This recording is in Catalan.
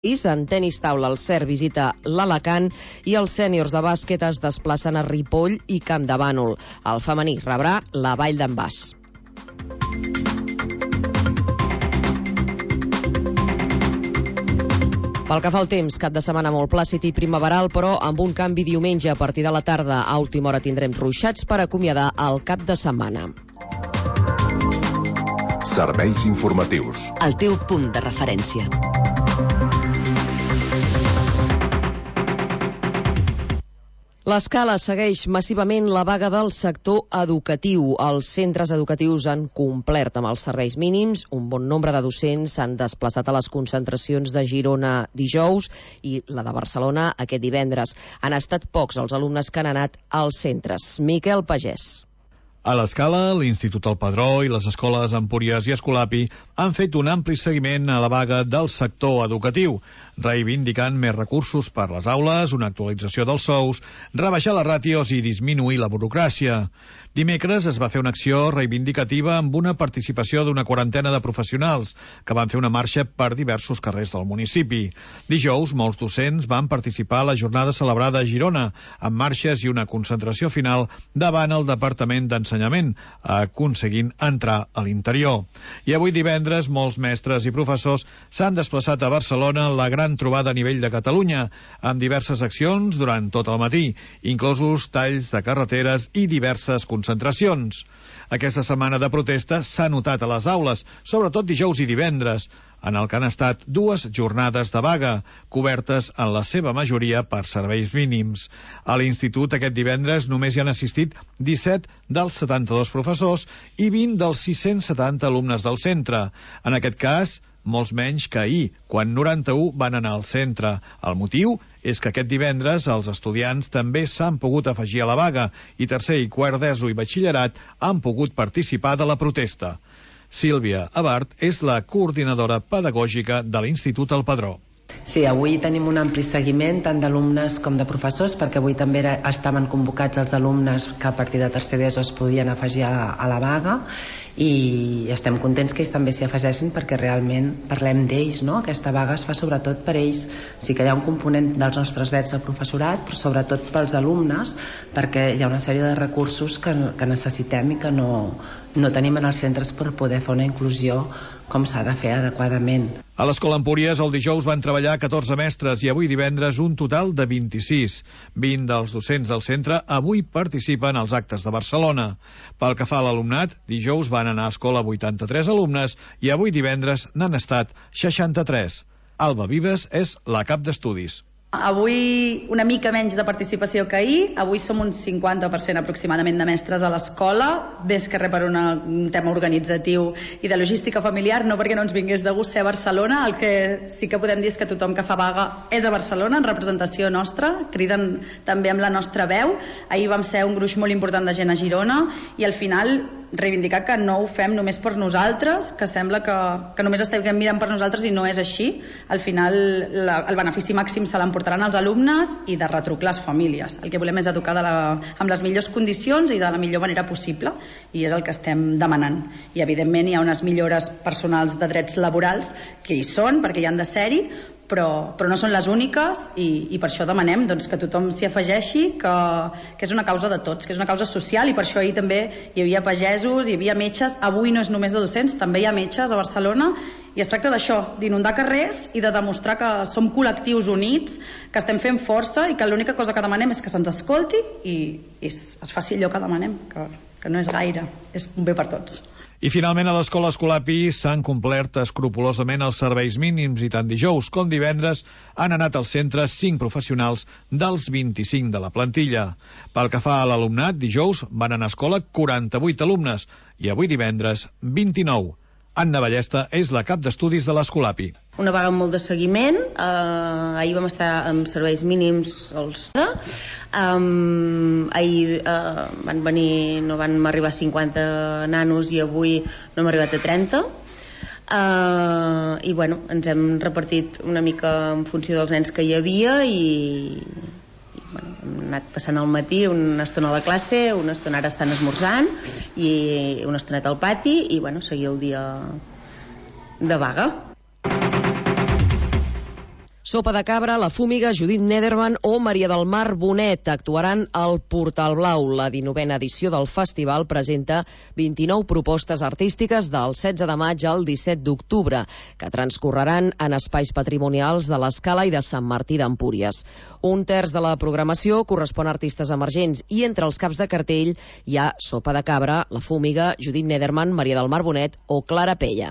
En tenis taula, el CERT visita l'Alacant i els sèniors de bàsquet es desplacen a Ripoll i Campdevànol. El femení rebrà la Vall d'en Bas. Pel que fa al temps, cap de setmana molt plàcid i primaveral, però amb un canvi diumenge a partir de la tarda. A última hora tindrem ruixats per acomiadar el cap de setmana. Serveis informatius. El teu punt de referència. L'Escala segueix massivament la vaga del sector educatiu. Els centres educatius han complert amb els serveis mínims. Un bon nombre de docents s'han desplaçat a les concentracions de Girona dijous i la de Barcelona aquest divendres. Han estat pocs els alumnes que han anat als centres. Miquel Pagès. A l'Escala, l'Institut El Padró i les escoles Empúries i Escolapi han fet un ampli seguiment a la vaga del sector educatiu, reivindicant més recursos per les aules, una actualització dels sous, rebaixar les ràtios i disminuir la burocràcia. Dimecres es va fer una acció reivindicativa amb una participació d'una quarantena de professionals que van fer una marxa per diversos carrers del municipi. Dijous, molts docents van participar a la jornada celebrada a Girona, amb marxes i una concentració final davant el Departament d'Ensenyament, aconseguint entrar a l'interior. I avui divendres, molts mestres i professors s'han desplaçat a Barcelona en la gran trobada a nivell de Catalunya, amb diverses accions durant tot el matí, inclosos talls de carreteres i diverses concentracions. Aquesta setmana de protesta s'ha notat a les aules, sobretot dijous i divendres, en el que han estat 2 jornades de vaga, cobertes en la seva majoria per serveis mínims. A l'institut aquest divendres només hi han assistit 17 dels 72 professors i 20 dels 670 alumnes del centre. En aquest cas, molts menys que ahir, quan 91 van anar al centre. El motiu és que aquest divendres els estudiants també s'han pogut afegir a la vaga i tercer i quart d'ESO i batxillerat han pogut participar de la protesta. Sílvia Abart és la coordinadora pedagògica de l'Institut El Padró. Sí, avui tenim un ampli seguiment tant d'alumnes com de professors, perquè avui també estaven convocats els alumnes que a partir de tercer d'ESO es podien afegir a la vaga, i estem contents que ells també s'hi afegeixin perquè realment parlem d'ells, no? Aquesta vaga es fa sobretot per ells. Sí que hi ha un component dels nostres drets del professorat, però sobretot pels alumnes, perquè hi ha una sèrie de recursos que necessitem i que no tenim en els centres per poder fer una inclusió com s'ha de fer adequadament. A l'Escola Empúries el dijous van treballar 14 mestres i avui divendres un total de 26. 20 dels docents del centre avui participen als actes de Barcelona. Pel que fa a l'alumnat, dijous van anar a escola 83 alumnes i avui divendres n'han estat 63. Alba Vives és la cap d'estudis. Avui una mica menys de participació que ahir. Avui som un 50% aproximadament de mestres a l'escola, més que res per un tema organitzatiu i de logística familiar, no perquè no ens vingués de gust ser a Barcelona. El que sí que podem dir és que tothom que fa vaga és a Barcelona, en representació nostra, criden també amb la nostra veu. Ahir vam ser un gruix molt important de gent a Girona i al final reivindicar que no ho fem només per nosaltres, que sembla que només estiguem mirant per nosaltres i no és així. Al final el benefici màxim se l'emportaran els alumnes i de retruc les famílies. El que volem és educar amb les millors condicions i de la millor manera possible, i és el que estem demanant. I evidentment hi ha unes millores personals de drets laborals que hi són, perquè hi han de ser-hi, però no són les úniques, i per això demanem que tothom s'hi afegeixi, que és una causa de tots, que és una causa social, i per això ahir també hi havia pagesos, hi havia metges. Avui no és només de docents, també hi ha metges a Barcelona, i es tracta d'això, d'inundar carrers i de demostrar que som col·lectius units, que estem fent força i que l'única cosa que demanem és que se'ns escolti i es faci allò que demanem, que no és gaire, és un bé per tots. I finalment a l'Escola Escolapi s'han complert escrupolosament els serveis mínims i tant dijous com divendres han anat al centre 5 professionals dels 25 de la plantilla. Pel que fa a l'alumnat, dijous van anar a escola 48 alumnes i avui divendres 29. Anna Ballesta és la cap d'estudis de l'Escolapi. Una vaga amb molt de seguiment. Ahir vam estar amb serveis mínims ahir van venir, no van arribar a 50 nanos i avui no hem arribat a 30. I bueno, ens hem repartit una mica en funció dels nens que hi havia i bueno, hem anat passant al matí una estona a la classe, una estona ara estan esmorzant i una estoneta al pati i bueno, seguir el dia de vaga. Sopa de Cabra, La Fúmiga, Judit Nederman o Maria del Mar Bonet actuaran al Portal Blau. La 19a edició del festival presenta 29 propostes artístiques del 16 de maig al 17 d'octubre, que transcorreran en espais patrimonials de l'Escala i de Sant Martí d'Empúries. Un terç de la programació correspon a artistes emergents i entre els caps de cartell hi ha Sopa de Cabra, La Fúmiga, Judit Nederman, Maria del Mar Bonet o Clara Pella.